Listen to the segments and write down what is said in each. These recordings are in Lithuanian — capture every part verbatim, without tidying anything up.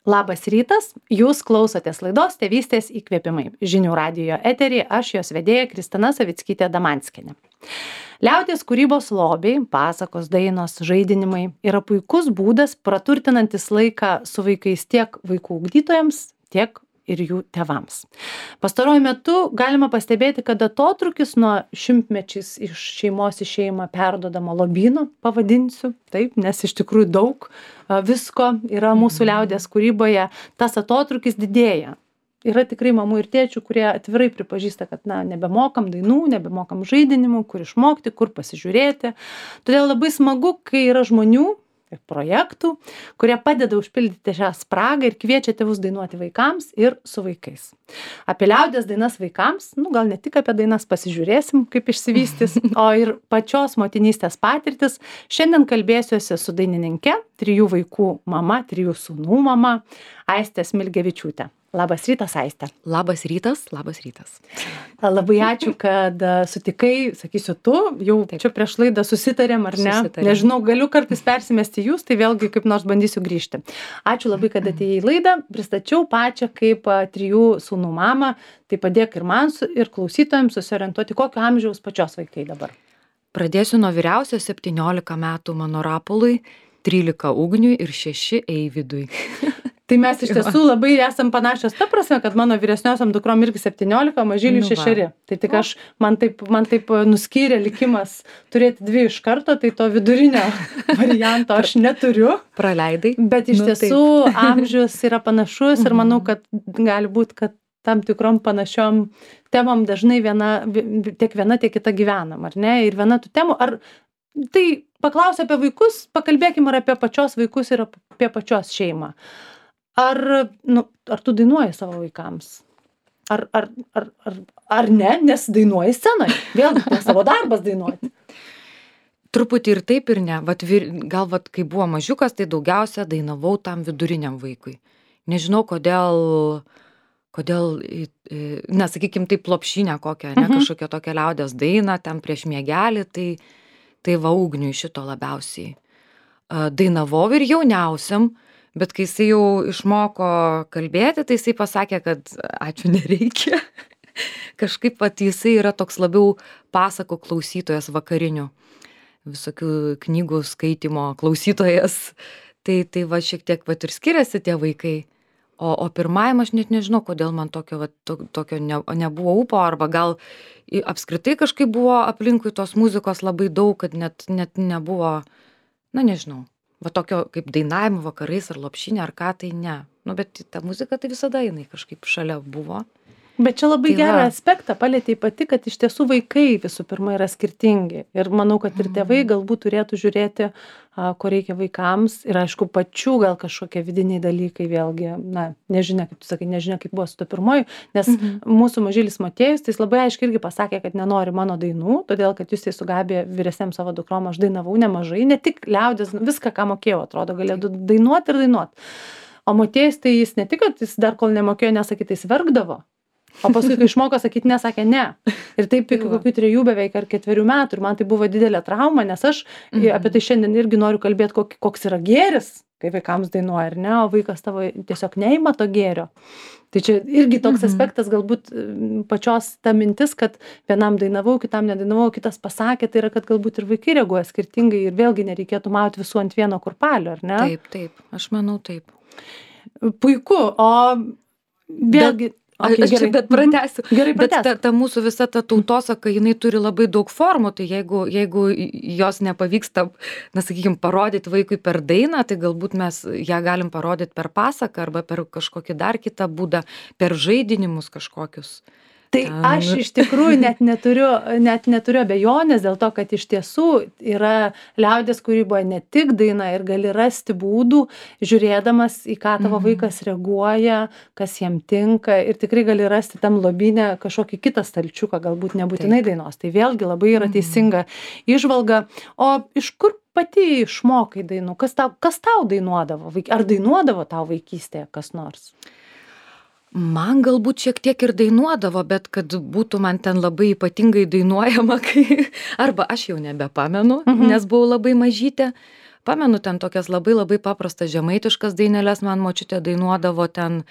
Labas rytas, jūs klausotės laidos Tėvystės įkvėpimai. Žinių radijo eterį, aš jos vedėja Kristina Savickytė Damanskienė. Liaudies kūrybos lobiai, pasakos, dainos, žaidinimai yra puikus būdas praturtinantis laiką su vaikais tiek vaikų ugdytojams, tiek ir jų tėvams. Pastaruoju metu galima pastebėti, kad atotrūkis nuo šimtmečiais iš šeimos į šeimą perdodamo lobyno, pavadinsiu, taip, nes iš tikrųjų daug a, visko yra mūsų liaudies kūryboje, tas atotrūkis didėja. Yra tikrai mamų ir tėčių, kurie atvirai pripažįsta, kad na, nebemokam dainų, nebemokam žaidinimų, kur išmokti, kur pasižiūrėti. Todėl labai smagu, kai yra žmonių ir projektų, kurie padeda užpildyti šią spragą ir kviečia tėvus dainuoti vaikams ir su vaikais. Apie liaudies dainas vaikams, nu gal ne tik apie dainas pasižiūrėsim, kaip išsivystys, o ir pačios motinystės patirtis. Šiandien kalbėsiuosi su dainininke, trijų vaikų mama, trijų sūnų mama, Aiste Smilgevičiūtė. Labas rytas, Aiste. Labas rytas, labas rytas. Labai ačiū, kad sutikai, sakysiu, tu, jau Taip. Čia prieš laidą susitarėm, ar ne? Susitarėm. Nežinau, galiu kartais persimesti jūs, tai vėlgi kaip nors bandysiu grįžti. Ačiū labai, kad atėjai į laidą, pristačiau pačią kaip trijų sūnų mamą, tai padėk ir man ir klausytojams susiorientuoti, kokio amžiaus pačios vaikai dabar. Pradėsiu nuo vyriausio septyniolika metų mano Rapolui, trylika Ugniui ir šeši Eivydui. Tai mes iš tiesų labai esam panašios ta prasme, kad mano vyresniosiam dukrom irgi septyniolika, mažyliui Nu va. šešeri. Tai tik aš, man taip, man taip nuskyrė likimas turėti dvi iš karto, tai to vidurinio varianto aš neturiu. Praleidai. Bet iš Nu, tiesų amžius yra panašus ir manau, kad gali būti, kad tam tikrom panašiom temom dažnai viena, tiek viena, tiek kita gyvenam, ar ne? Ir viena tų temų, ar tai paklausia apie vaikus, pakalbėkim ir apie pačios vaikus ir apie pačios šeimą. Ar, nu, ar tu dainuoji savo vaikams? Ar, ar, ar, ar, ar ne, nes dainuoji scenoje? Vėlgi, tai savo darbas dainuoti. Truputį ir taip ir ne. Vat, vir, gal, vat, kai buvo mažiukas, tai daugiausia dainavau tam viduriniam vaikui. Nežinau, kodėl, kodėl, na, sakykim, taip lopšinę kokią, ne, Mhm. kažkokią tokią liaudies dainą, ten prieš miegelį, tai, tai va Ugniui šito labiausiai. A, Dainavau ir jauniausiam, bet kai jisai jau išmoko kalbėti, tai jisai pasakė, kad ačiū nereikia. Kažkaip pat jisai yra toks labiau pasakų klausytojas vakarinių, visokių knygų skaitimo klausytojas. Tai, tai va šiek tiek va ir skiriasi tie vaikai. O, o pirmajam aš net nežinau, kodėl man tokio, va, to, tokio ne, nebuvo upo, arba gal i- apskritai kažkaip buvo aplinkui tos muzikos labai daug, kad net, net nebuvo, na nežinau. Va tokio kaip dainavimo vakarais ar lopšinė ar ką, tai ne. Nu, bet ta muzika tai visada jinai kažkaip šalia buvo. Bet čia labai Tai gerą va. aspektą palėtei pati, kad iš tiesų vaikai visų pirma yra skirtingi. Ir manau, kad ir tėvai galbūt turėtų žiūrėti, a, ko reikia vaikams. Ir aišku, pačių gal kažkokie vidiniai dalykai vėlgi, na, nežinia, kaip tu sakai, nežinia, kaip buvo su to pirmoju. Nes Mhm. mūsų mažylis Motiejus, tai jis labai aiškiai irgi pasakė, kad nenori mano dainų, todėl kad jūs tai su Gabija vyresniam savo dukrom aš dainavau nemažai, ne tik liaudies, viską, ką mokėjau, atrodo, galėjau dainuoti ir dainuoti. O Motiejus tai jis ne tik, kad jis dar kol nemokėjo nesakyti, tai jis verkdavo. O paskui, kai išmoko sakyti ne, sakė ne. Ir taip iki kokių trejų beveik ar ketverių metų. Ir man tai buvo didelė trauma, nes aš Mhm. apie tai šiandien irgi noriu kalbėti, kok, koks yra gėris, kai vaikams dainuoja, ar ne, o vaikas tavo tiesiog neima to gėrio. Tai čia irgi toks Mhm. aspektas, galbūt mm, pačios ta mintis, kad vienam dainavau, kitam nedainavau, kitas pasakė, tai yra, kad galbūt ir vaikai reaguoja skirtingai ir vėlgi nereikėtų mauti visų ant vieno kurpalio, ar ne? Taip, taip, aš manau taip. Puiku, o vėlgi... Okay, aš čia bet pratęsiu. Gerai, Bet pratęsk. ta, ta mūsų visa ta tautosaka, jinai turi labai daug formų, tai jeigu, jeigu jos nepavyksta, na, sakykime, parodyti vaikui per dainą, tai galbūt mes ją galim parodyti per pasaką arba per kažkokį dar kitą būdą, per žaidinimus kažkokius. Tai Ten. aš iš tikrųjų net neturiu, net neturiu abejonės dėl to, kad iš tiesų yra liaudies kūryboje ne tik daina ir gali rasti būdų, žiūrėdamas į ką tavo Mhm. vaikas reaguoja, kas jam tinka ir tikrai gali rasti tam lobynę kažkokį kitą stalčiuką, galbūt nebūtinai Taip. dainos. Tai vėlgi labai yra Mhm. teisinga įžvalga. O iš kur pati išmokai dainų? Kas tau, kas tau dainuodavo? Vaik- Ar dainuodavo tau vaikystėje kas nors? Man galbūt šiek tiek ir dainuodavo, bet kad būtų man ten labai ypatingai dainuojama, kai arba aš jau nebepamenu, Mhm. nes buvau labai mažytė. pamenu ten tokias labai labai paprastas žemaitiškas daineles man močiutė dainuodavo ten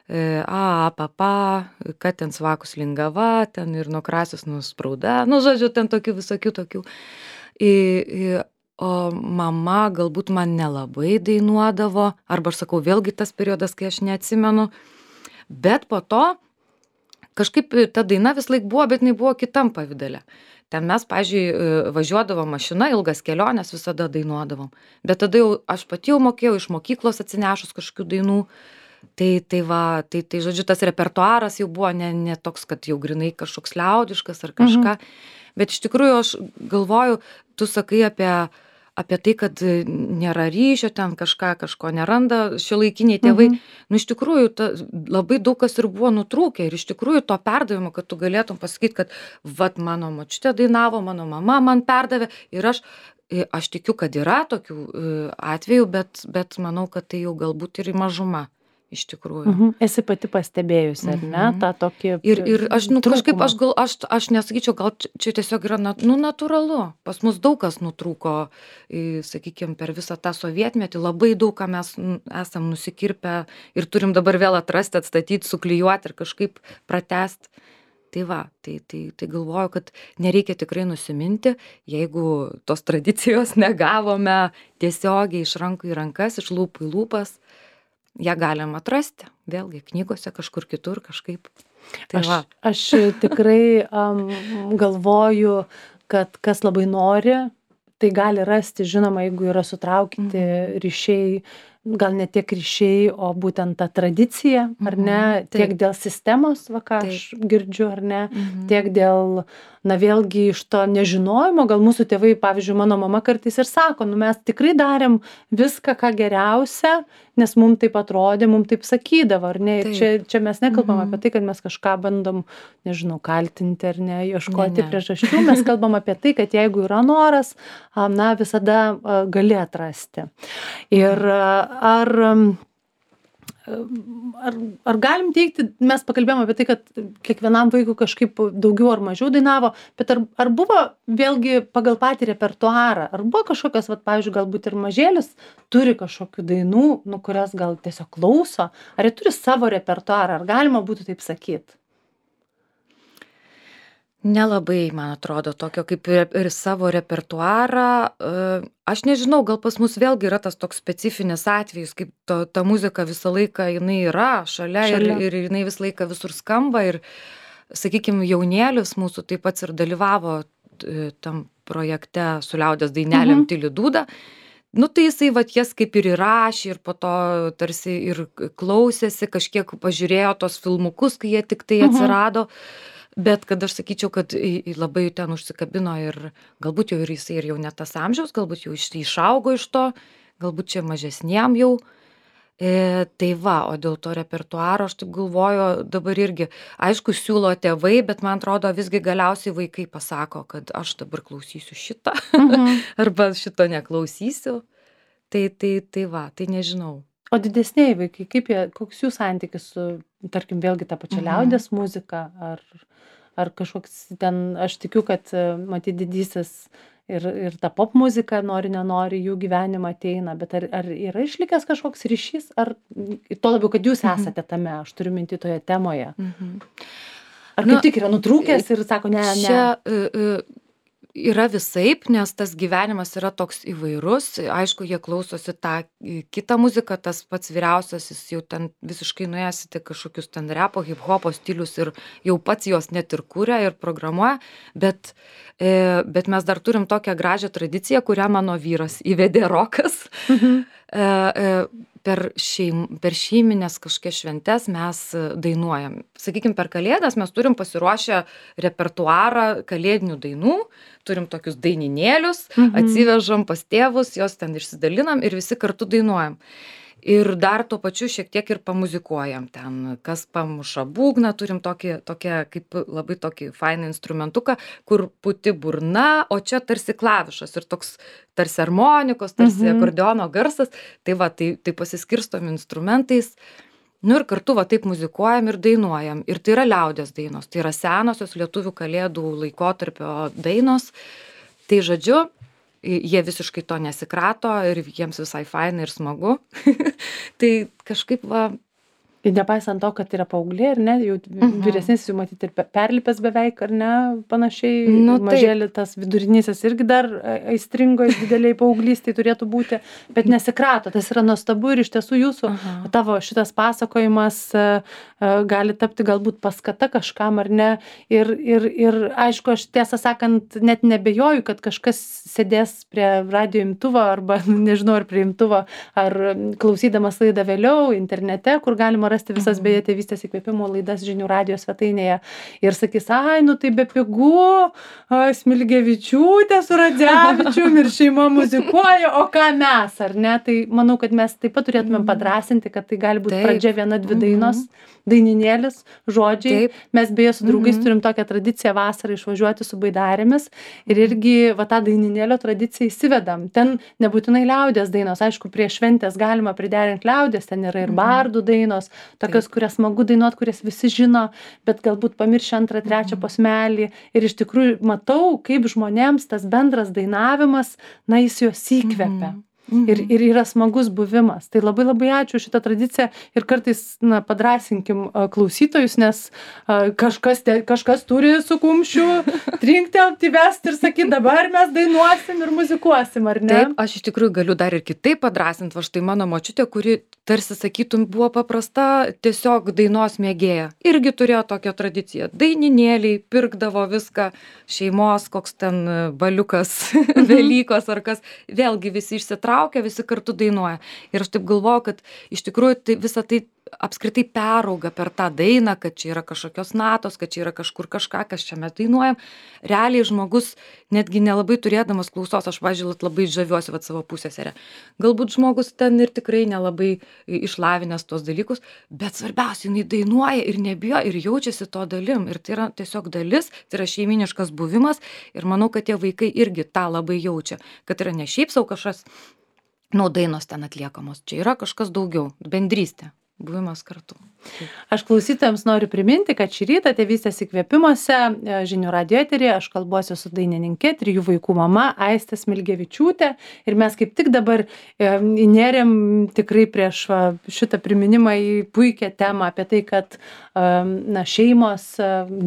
e, a, pa, pa, kad ten svakus lingava, ten ir nuo krasius nusprauda, nu, žodžiu, ten tokių visokių tokių. I, i, o mama galbūt man nelabai dainuodavo, arba aš sakau, vėlgi tas periodas, kai aš neatsimenu, bet po to kažkaip ta daina vis laik buvo, bet jinai buvo kitam pavidale. Ten mes, pavyzdžiui, važiuodavom mašina, ilgas kelionės visada dainuodavom. Bet tada jau aš pati jau mokėjau iš mokyklos atsinešus kažkokių dainų. Tai, tai va, tai, tai žodžiu, tas repertuaras jau buvo ne, ne toks, kad jau grinai kažkoks liaudiškas ar kažką. Mhm. Bet iš tikrųjų aš galvoju, tu sakai apie, apie tai, kad nėra ryšio, ten kažką, kažko neranda šiuolaikiniai tėvai. Mhm. Nu, iš tikrųjų, ta, labai daug kas ir buvo nutrūkę. Ir iš tikrųjų to perdavimo, kad tu galėtum pasakyti, kad vat mano močiutė dainavo, mano mama man perdavė. Ir aš, aš tikiu, kad yra tokių atvejų, bet, bet manau, kad tai jau galbūt ir mažuma. Iš tikrųjų. Mhm. Esi pati pastebėjusi, ar ne, tą tokį ir, ir aš, nu, kažkaip, aš gal, aš, aš nesakyčiau, gal čia tiesiog yra, nu, natūralu. Pas mus daug kas nutrūko, sakykime, per visą tą sovietmetį, labai daug ką mes esam nusikirpę ir turim dabar vėl atrasti, atstatyti, suklijuoti ir kažkaip pratesti. Tai va, tai, tai, tai galvoju, kad nereikia tikrai nusiminti, jeigu tos tradicijos negavome tiesiogiai iš rankų į rankas, iš lūpų į lūpas. Ją galim atrasti, vėlgi, knygose kažkur kitur kažkaip. Tai aš, va. aš tikrai um, galvoju, kad kas labai nori, tai gali rasti, žinoma, jeigu yra sutraukyti mhm. ryšiai, gal ne tiek ryšiai, o būtent ta tradicija, ar ne, mhm. tiek dėl sistemos, va ką Taip. Aš girdžiu, ar ne, mhm. tiek dėl, na vėlgi iš to nežinojimo, gal mūsų tėvai, pavyzdžiui, mano mama kartais ir sako, nu mes tikrai darėm viską, ką geriausia, nes mums taip atrodė, mums taip sakydavo, ar ne, ir čia, čia mes nekalbam mhm. apie tai, kad mes kažką bandom, nežinau, kaltinti ar ne, ieškoti ne, ne. priežasčių, mes kalbam apie tai, kad jeigu yra noras, na visada gali atrasti. Ir ar, ar, ar galim teikti, mes pakalbėjom apie tai, kad kiekvienam vaikui kažkaip daugiau ar mažiau dainavo, bet ar, ar buvo vėlgi pagal patį repertuarą, ar buvo kažkokios, vat, pavyzdžiui, galbūt ir mažėlis turi kažkokių dainų, nu, kurias gal tiesiog klauso, ar jie turi savo repertuarą, ar galima būtų taip sakyti? Nelabai, man atrodo, tokio kaip ir savo repertuarą. Aš nežinau, gal pas mus vėlgi yra tas toks specifinis atvejis, kaip to, ta muzika visą laiką jinai yra šalia, šalia. Ir, ir jinai visą laiką visur skamba. Ir, sakykime, jaunėlis mūsų taip pat ir dalyvavo tam projekte su liaudies dainelėm mhm. Tyli dūda. Nu, tai jisai, vat, jas kaip ir įrašė ir po to tarsi ir klausėsi, kažkiek pažiūrėjo tos filmukus, kai jie tik tai atsirado. Mhm. Bet kad aš sakyčiau, kad labai ten užsikabino ir galbūt jau ir jisai ir jau ne tas amžiaus, galbūt jau išaugo iš to, galbūt čia mažesniem jau. E, tai va, o dėl to repertuaro aš taip galvoju dabar irgi, aišku, siūlo tėvai, bet man atrodo visgi galiausiai vaikai pasako, kad aš dabar klausysiu šitą, mhm. arba šito neklausysiu. Tai, tai, tai va, tai nežinau. O didesniai vaikai, kaip jie, koks jų santykis su, tarkim, vėlgi tą pačią liaudies mhm. muziką, ar, ar kažkoks ten, aš tikiu, kad matyt didysis ir, ir ta pop muzika, nori, nenori, jų gyvenimą ateina, bet ar, ar yra išlikęs kažkoks ryšys, ar to labiau, kad jūs mhm. esate tame, aš turiu minti toje temoje. Mhm. Ar kaip nu, tik yra nutrūkęs ir sako, ne, ne. Čia, uh, yra visaip, nes tas gyvenimas yra toks įvairus. Aišku, jie klausosi tą kitą muziką, tas pats vyriausias, jis jau ten visiškai nuėjęs į kažkokius ten repo, hip-hopo stilius ir jau pats jos net ir kūrė ir programuoja, bet, e, bet mes dar turim tokią gražią tradiciją, kurią mano vyras įvedė rokas. Mhm. E, e, per, šeim, per šeiminės kažkokias šventes mes dainuojam. Sakykime, per Kalėdas mes turim pasiruošę repertuarą kalėdinių dainų, turim tokius daininėlius, mhm. atsivežam pas tėvus, jos ten išsidalinam ir visi kartu dainuojam. Ir dar tuo pačiu šiek tiek ir pamuzikuojam ten, kas pamuša būgną, turim tokį, tokią, kaip labai tokį fainą instrumentuką, kur puti burna, o čia tarsi klavišas ir toks tarsi harmonikos, tarsi mhm. akordeono garsas, tai va, tai, tai pasiskirstom instrumentais, nu ir kartu va taip muzikuojam ir dainuojam. Ir tai yra liaudies dainos, tai yra senosios lietuvių kalėdų laikotarpio dainos, tai žodžiu, jie visiškai to nesikrato ir jiems visai faina ir smagu. Tai kažkaip va. Ir nepaisant to, kad yra paauglė, ar ne, jau Mhm. vyresnis jau matyti ir pe- perlipęs beveik, ar ne, panašiai, Nu, taip. mažėlį tas vidurinysis irgi dar a- aistringo dideliai paauglystai turėtų būti, bet nesikrato, tas yra nuostabu ir iš tiesų jūsų, Aha. tavo šitas pasakojimas a, a, gali tapti galbūt paskata kažkam, ar ne, ir, ir, ir aišku, aš tiesą sakant, net nebejoju, kad kažkas sėdės prie radio imtuvo arba, nežinau, ar prie imtuvo, ar klausydamas laidą vėliau internete, kur galima rasti visas beje tėvystės įkvėpimo laidas žinių radijo svetainėje ir sakys, ai, nu tai be pigų, a, Smilgevičiūtė su Radzevičium ir šeima muzikuoja, o ką mes, ar ne? Tai manau, kad mes taip pat turėtumėm padrąsinti, kad tai gali būti Taip. pradžia viena, dvi dainos, daininėlis, žodžiai. Taip. Mes beje su draugais turim tokią tradiciją vasarą išvažiuoti su baidarėmis ir irgi va tą daininėlio tradiciją įsivedam. Ten nebūtinai liaudės dainos, aišku, prie šventės galima priderinti liaudės, ten yra ir bardų dainos, tokios, kurias smagu dainuot, kurias visi žino, bet galbūt pamiršę antrą, trečią posmelį. Ir iš tikrųjų matau, kaip žmonėms tas bendras dainavimas, na, jis juos įkvepia. Ir, ir yra smagus buvimas. Tai labai labai ačiū už šitą tradiciją ir kartais, na, padrąsinkim a, klausytojus, nes a, kažkas, te, kažkas turi su kumščiu trinktelti, įvesti ir sakyti, dabar mes dainuosim ir muzikuosim, ar ne? Taip, aš iš tikrųjų galiu dar ir kitaip padrąsinti, va štai mano močiutė, kuri tarsi sakytum buvo paprasta tiesiog dainos mėgėja. Irgi turėjo tokią tradiciją. Daininėliai, pirkdavo viską, šeimos, koks ten baliukas, Velykos ar kas, vėlgi visi išsitraukia, visi kartu dainuoja. Ir aš taip galvoju, kad iš tikrųjų tai visą tai apskritai perauga per tą dainą, kad čia yra kažkokios natos, kad čia yra kažkur kažką, kas čia mes dainuojam. Realiai žmogus, netgi nelabai turėdamas klausos, aš važiuot labai žaviuosi vat savo pusėserę. Galbūt žmogus ten ir tikrai nelabai išlavinęs tos dalykus, bet svarbiausia, jinai dainuoja ir nebijo ir jaučiasi to dalim. Ir tai yra tiesiog dalis, tai yra šeiminiškas buvimas ir manau, kad tie vaikai irgi tą labai jaučia, kad yra ne šiaip savo kažkas, nu, dainos ten atliekamos, čia yra kažkas daugiau, bendrystė. Buvimas kartu. Aš klausytojams noriu priminti, kad šį rytą tėvystės įkvėpimuose žinių radijo eteryje aš kalbuosiu su dainininkė, trijų vaikų mama Aistė Smilgevičiūtė ir mes kaip tik dabar įnėrėm tikrai prieš va, šitą priminimą į puikią temą apie tai, kad na, šeimos,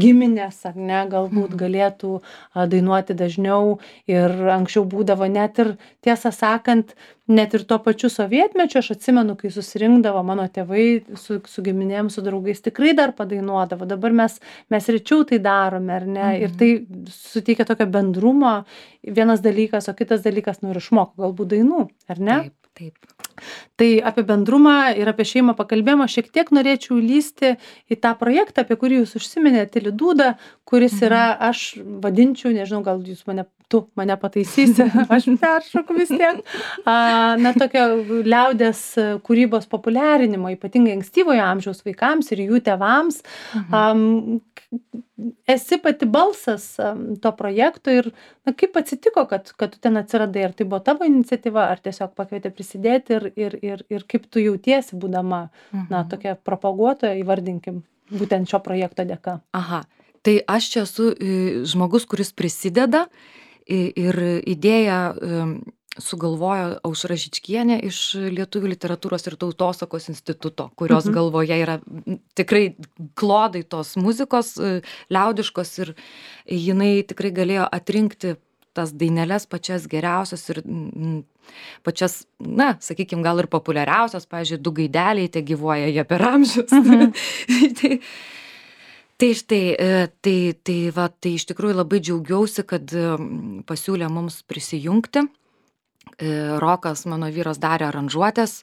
giminės ar ne, galbūt galėtų dainuoti dažniau ir anksčiau būdavo net ir tiesą sakant, net ir tuo pačiu sovietmečiu, aš atsimenu, kai susirinkdavo mano tėvai su, su giminėm, su draugais, tikrai dar padainuodavo. Dabar mes, mes rečiau tai darome, ar ne? Mhm. Ir tai suteikia tokio bendrumo, vienas dalykas, o kitas dalykas, nu ir išmoko galbūt dainų, ar ne? Taip, taip. Tai apie bendrumą ir apie šeimą pakalbėjimą šiek tiek norėčiau lysti į tą projektą, apie kurį jūs užsiminėte, Tyli dūda, kuris yra, aš vadinčiau, nežinau, gal jūs mane, tu mane pataisysi, aš peršoku vis tiek, a, na, tokio liaudės kūrybos populiarinimo, ypatingai ankstyvojo amžiaus vaikams ir jų tėvams. Mhm. A, esi pati balsas a, to projekto ir na, kaip atsitiko, kad, kad tu ten atsiradai, ar tai buvo tavo iniciatyva, ar tiesiog pakvietė prisidėti ir, ir, ir, ir kaip tu jautiesi, būdama, mhm. na, tokia propaguotoja, įvardinkim, būtent šio projekto dėka. Aha, tai aš čia esu žmogus, kuris prisideda ir idėją sugalvojo Aušra Žičkienė iš Lietuvių literatūros ir tautosakos instituto, kurios mhm. galvoje yra tikrai klodai tos muzikos liaudiškos ir jinai tikrai galėjo atrinkti tas daineles pačias geriausias ir mm, pačias, na, sakykime, gal ir populiariausias, pavyzdžiui, du gaideliai, te gyvuoja jie per amžius. Mhm. tai, tai štai, tai, tai, va, tai iš tikrųjų labai džiaugiausi, kad pasiūlė mums prisijungti. Rokas, mano vyras, darė aranžuotės,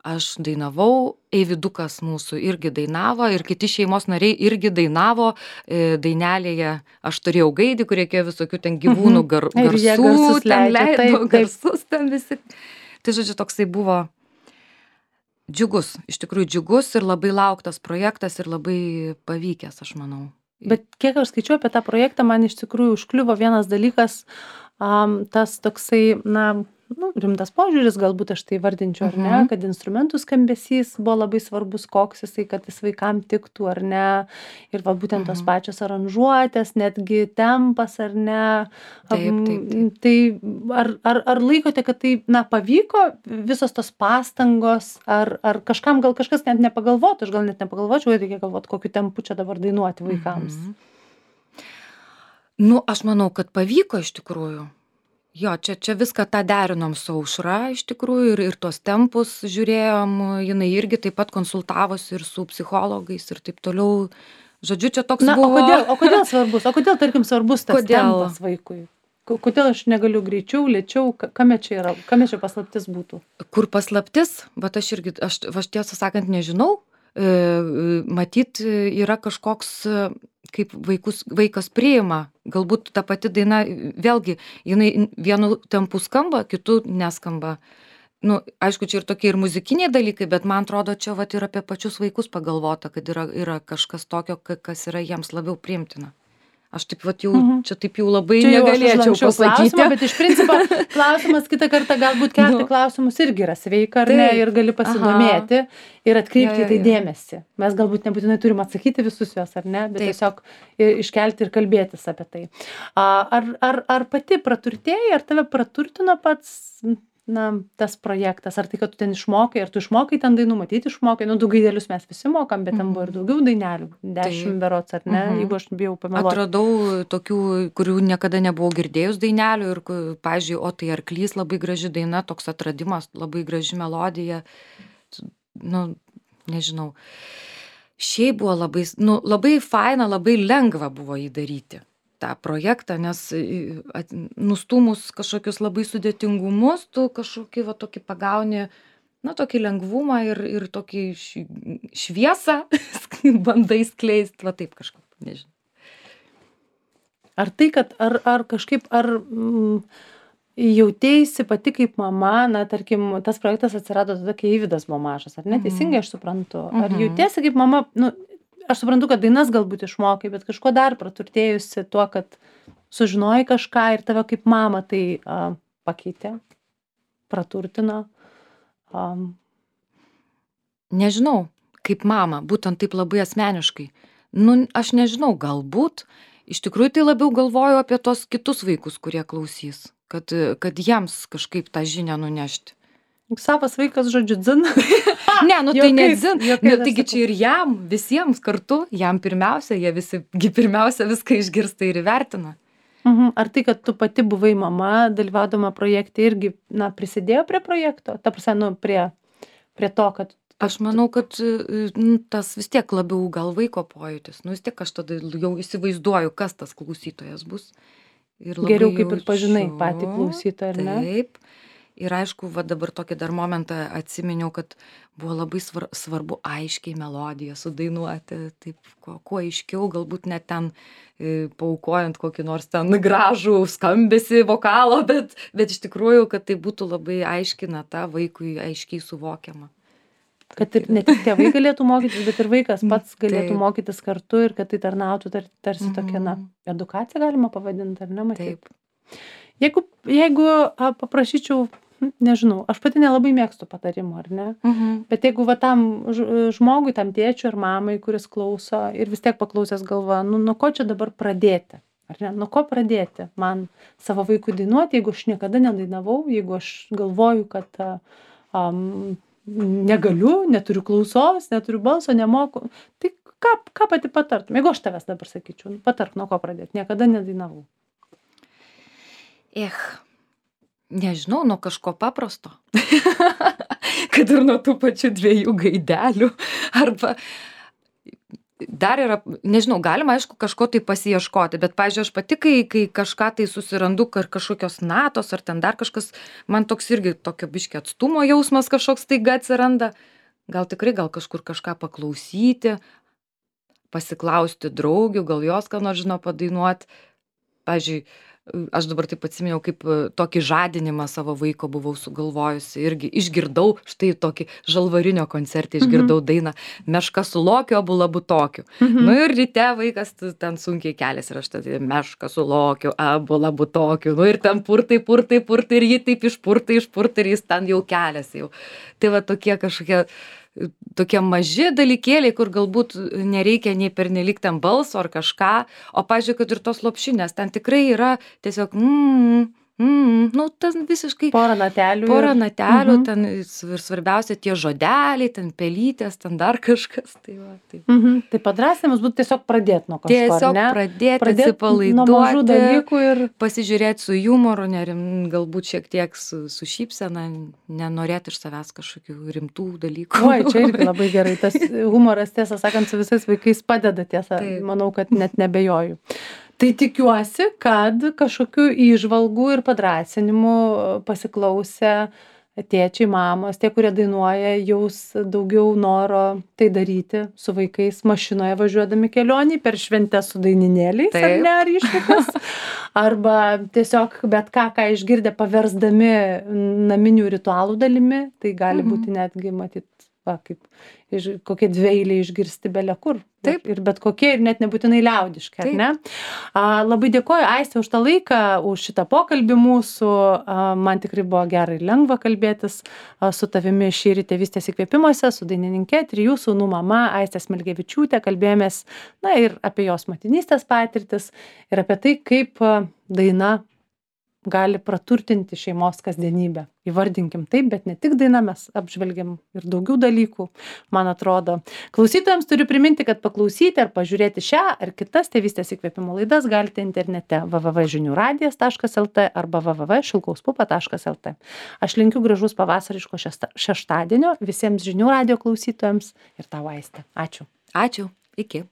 aš dainavau, Eividukas mūsų irgi dainavo ir kiti šeimos nariai irgi dainavo dainelėje. Aš turėjau gaidį, kur reikėjo visokių ten gyvūnų gar, garsų, ten leido garsus ten visi. Tai žodžiu, toksai buvo džiugus, iš tikrųjų džiugus ir labai lauktas projektas ir labai pavykęs, aš manau. Bet kiek aš skaičiu apie tą projektą, man iš tikrųjų užkliuvo vienas dalykas, um, tas toksai, na, nu, rimtas požiūris, galbūt aš tai vardinčiau, ar ne, Mhm. kad instrumentų skambesys buvo labai svarbus, koks jisai, kad jis vaikam tiktų, ar ne. Ir va būtent tos Mhm. pačios aranžuotės, netgi tempas, ar ne. Taip, Am, taip, taip. Tai ar, ar, ar laikote, kad tai, na, pavyko visos tos pastangos, ar, ar kažkam gal kažkas net nepagalvotų, aš gal net nepagalvočiau, kad reikia galvoti, kokiu tempu čia dabar dainuoti vaikams. Mhm. Nu, aš manau, kad pavyko iš tikrųjų. Jo, čia, čia viską tą derinom su Aušra iš tikrųjų ir, ir tuos tempus žiūrėjom, jinai irgi taip pat konsultavosi ir su psichologais ir taip toliau. Žodžiu, čia toks Na, o buvo. kodėl, o kodėl svarbus, o kodėl, tarkim, svarbus tas Kodėl? tempas vaikui? Ko- Kodėl aš negaliu greičiau, lėčiau, ka- kame čia yra, kame čia paslaptis būtų? Kur paslaptis, bet aš irgi, aš, aš tiesą sakant nežinau, e, matyt, yra kažkoks, e, kaip vaikus, vaikas priima, galbūt ta pati daina, vėlgi, jinai vienu tempu skamba, kitu neskamba. Nu, aišku, čia ir tokie ir muzikiniai dalykai, bet man atrodo, čia vat ir apie pačius vaikus pagalvota, kad yra, yra kažkas tokio, ka- kas yra jiems labiau priimtina. Aš taip vat jau, Mhm. čia taip jau labai Čia jau aš negalėčiau užlanksčiau pasakyti. klausimą, bet iš principo klausimas kitą kartą galbūt kelti Nu. klausimus irgi yra sveika, ar ne, Taip. ir gali pasidomėti ir atkreipti Jo, į tai jo, jo. dėmesį. Mes galbūt nebūtinai turim atsakyti visus juos, ar ne, bet Taip. tiesiog i- iškelti ir kalbėtis apie tai. A, Ar, ar, ar pati praturtėjai, ar tave praturtino pats, na, tas projektas, ar tai, kad tu ten išmokai, ar tu išmokai ten dainų, matyti išmokai, nu, du gaidelius mes visi mokam, bet ten buvo ir daugiau dainelių, dešimt berots, ar ne, Mhm. jeigu aš bijau pameluoti. Atradau tokių, kurių niekada nebuvau girdėjus dainelių ir, ku- pavyzdžiui, o tai arklys labai graži daina, toks atradimas, labai graži melodija. Nu, nežinau. Šiaip buvo labai, s- nu, labai faina, labai lengva buvo jį daryti tą projektą, nes i, at, nustumus kažkokius labai sudėtingumus, tu kažkokį va tokį pagauni, na, tokį lengvumą ir, ir tokį š- šviesą bandai skleisti, va taip kažkaip, nežinau. Ar tai, kad, ar, ar kažkaip, ar mm, jautėsi pati kaip mama, na, tarkim, tas projektas atsirado tada, kai Eivydas buvo mažas, ar ne, teisingai aš suprantu? Ar Mhm. jautėsi kaip mama, nu, aš suprantu, kad dainas galbūt išmokai, bet kažko dar praturtėjusi tuo, kad sužinojai kažką ir tave kaip mama tai a, pakeitė, praturtino. Um, Nežinau, kaip mama, būtent taip labai asmeniškai. Nu, aš nežinau, galbūt, iš tikrųjų tai labiau galvoju apie tos kitus vaikus, kurie klausys, kad, kad jiems kažkaip tą žinią nunešti. savas vaikas, žodžiu, dzin. Ne, nu tai ne Juokais, dzin, juokais nu, aš taigi sakau. čia ir jam, visiems kartu, jam pirmiausia, jie visi gi pirmiausia viską išgirsta ir įvertina. Mhm. Ar tai, kad tu pati buvai mama, dalyvaudama projekte, irgi, na, prisidėjo prie projekto? Ta prasme, nu, prie, prie to, kad... Aš manau, kad e, nu, tas vis tiek labiau gal vaiko pojūtis, nu vis tiek aš tada jau įsivaizduoju, kas tas klausytojas bus. Ir labai Geriau kaip ir jaučiu- pažinai patį klausytoją, ar ne? Taip. Ir aišku, va dabar tokį dar momentą atsiminiau, kad buvo labai svar, svarbu aiškiai melodiją sudainuoti, taip kuo, kuo aiškiau, galbūt net ten e, paukojant kokį nors ten gražų skambesį vokalo, bet, bet iš tikrųjų, kad tai būtų labai aiškina tą vaikui aiškiai suvokiama. Kad ir ne tik tėvai galėtų mokytis, bet ir vaikas pats galėtų Taip. mokytis kartu ir kad tai tarnautų tar, tarsi tokia, na, Mhm. edukacija galima pavadinti, ar ne, matyt? Taip. Jeigu, jeigu a, paprašyčiau, hm, nežinau, aš pati nelabai mėgstu patarimų, ar ne? Mhm. Bet jeigu va tam ž- žmogui, tam tėčiui ar mamai, kuris klauso ir vis tiek paklausęs galvoja, nu, nuo ko čia dabar pradėti? Ar ne? Nuo ko pradėti man savo vaikui dainuoti, jeigu aš niekada nedainavau, jeigu aš galvoju, kad a, am, negaliu, neturiu klausos, neturiu balso, nemoku. Tai ką, ką pati patartum? Jeigu aš tavęs dabar sakyčiau, nu, patark, nuo ko pradėti. Niekada nedainavau. Ech, nežinau, nuo kažko paprasto. Kad ir nuo tų pačių dviejų gaidelių. Arba dar yra, nežinau, galima aišku kažko tai pasiieškoti, bet, pavyzdžiui, aš pati, kai, kai kažką tai susirandu, ar kažkokios natos, ar ten dar kažkas, man toks irgi tokio biškio atstumo jausmas kažkoks taiga atsiranda. Gal tikrai, gal kažkur kažką paklausyti, pasiklausti draugių, gal jos ką nors žino padainuoti. Pavyzdžiui, aš dabar taip atsiminiau, kaip tokį žadinimą savo vaiko buvau sugalvojusi, irgi išgirdau, štai tokį žalvarinio koncertą išgirdau mhm. dainą Meška su lokiu, abu labu tokiu. Mhm. Nu ir ryte vaikas ten sunkiai keliasi ir aš tada Meška su lokiu, abu labu tokiu. Nu ir ten purtai, purtai, purtai ir jį taip išpurtai, išpurtai ir jis ten jau keliasi jau. Tai va tokie kažkokie tokie maži dalykėliai, kur galbūt nereikia nei pernelyg ten balso ar kažką, o pavyzdžiui, kad ir tos lopšinės, ten tikrai yra tiesiog, mm, mm, nu, ten visiškai... Porą natelių. Porą natelių, mhm. ten ir svarbiausia tie žodeliai, ten pelytės, ten dar kažkas. Tai, va, tai. Mhm. Tai padrąsinimas būtų tiesiog pradėti nuo kažko, tiesiog ne? pradėti, Pradėt atsipalaiduoti, ir... pasižiūrėti su jumoru, nerim, galbūt šiek tiek su, su šypsena, nenorėti iš savęs kažkokių rimtų dalykų. Oi, čia irgi labai gerai. Tas humoras, tiesą sakant, su visais vaikais padeda, tiesą. Taip. Manau, kad net nebejoju. Tai tikiuosi, kad kažkokių įžvalgų ir padrąsinimų pasiklausę tėčiai, mamos, tie, kurie dainuoja, jaus daugiau noro tai daryti su vaikais mašinoje važiuodami kelionį per šventę su daininėliais, ar ne, ar išvykas. Arba tiesiog bet ką, ką išgirdę paversdami naminių ritualų dalimi, tai gali mhm. būti netgi matyti, va, kaip iš, kokie dveiliai išgirsti belia kur. Taip. Ir bet kokie, ir net nebūtinai liaudiški, ar ne? A, labai dėkoju, Aiste, už tą laiką, už šitą pokalbį mūsų. A, man tikrai buvo gera ir lengva kalbėtis a, su tavimi šįryt Tėvystės įkvėpimuose, su dainininkė, trijų sūnų mama Aiste Smilgevičiūtė. Kalbėjomės, na, ir apie jos motinystės patirtis, ir apie tai, kaip a, daina gali praturtinti šeimos kasdienybę. Įvardinkim taip, bet ne tik daina, mes apžvelgiam ir daugiau dalykų, man atrodo. Klausytojams turiu priminti, kad paklausyti ar pažiūrėti šią ar kitas Tėvystės įkvėpimo laidas galite internete w w w taškas žinių radijas taškas l t arba w w w taškas šilkaus pupa taškas l t. Aš linkiu gražus pavasariško šešta, šeštadienio visiems žinių radijo klausytojams ir tau, Aiste. Ačiū. Ačiū. Iki.